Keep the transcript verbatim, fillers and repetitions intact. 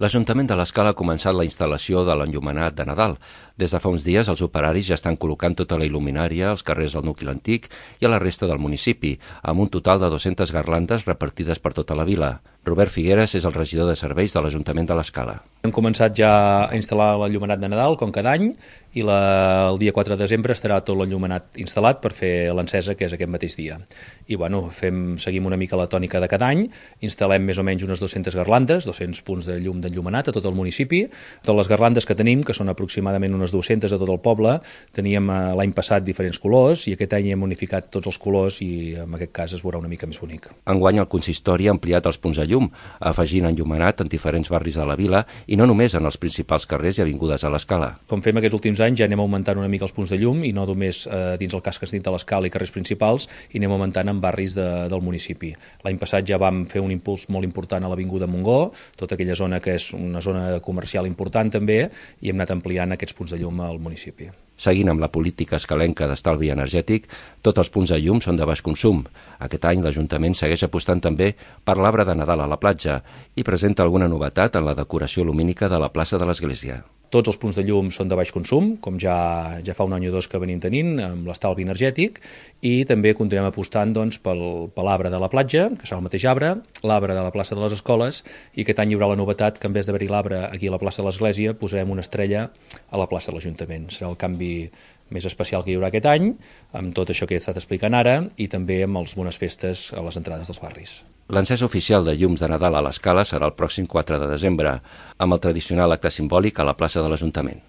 L'Ajuntament de l'Escala ha començat la instal·lació de l'enllumenat de Nadal. Des de fa uns dies, els operaris ja estan col·locant tota la il·luminària als carrers del nucli antic i a la resta del municipi, amb un total de dues-centes garlandes repartides per tota la vila. Robert Figueres és el regidor de serveis de l'Ajuntament de l'Escala. Hem començat ja a instal·lar l'enllumenat de Nadal, com cada any, i la, el dia quatre de desembre estarà tot l'enllumenat instal·lat per fer l'encesa, que és aquest mateix dia. I bueno, fem, seguim una mica la tònica de cada any, instal·lem més o menys unes dues-centes garlandes, dos-cents punts de llum d'enllumenat a tot el municipi. Totes les garlandes que tenim, que són aproximadament unes dues-centes a tot el poble, teníem l'any passat diferents colors i aquest any hem unificat tots els colors i en aquest cas es veurà una mica més bonic. Enguany el consistori ha ampliat els punts de llum, afegint enllumenat en diferents barris de la vila i no només en els principals carrers i avingudes a l'Escala. Com fem aquests últims anys ja anem augmentant una mica els punts de llum i no només eh, dins el casc dins de l'Escala i carrers principals, i anem augmentant en barris de, del municipi. L'any passat ja vam fer un impuls molt important a l'Avinguda Montgó, tota aquella zona que és una zona comercial important també, i hem anat ampliant aquests punts de llum al municipi. Seguint amb la política escalenca d'estalvi energètic, tots els punts de llum són de baix consum. Aquest any l'Ajuntament segueix apostant també per l'arbre de Nadal a la platja i presenta alguna novetat en la decoració lumínica de la plaça de l'Església. Tots els punts de llum són de baix consum, com ja, ja fa un any o dos que venim tenint, amb l'estalvi energètic, i també continuem apostant doncs, pel, per l'arbre de la platja, que serà el mateix arbre, l'arbre de la plaça de les escoles, i aquest any hi haurà la novetat que en vez d'haver-hi l'arbre aquí a la plaça de l'Església, posarem una estrella a la plaça de l'Ajuntament. Serà el canvi més especial que hi haurà aquest any, amb tot això que he estat explicant ara, i també amb les bones festes a les entrades dels barris. L'encesa oficial de llums de Nadal a l'Escala serà el pròxim quatre de desembre, amb el tradicional acte simbòlic a la plaça de l'Ajuntament.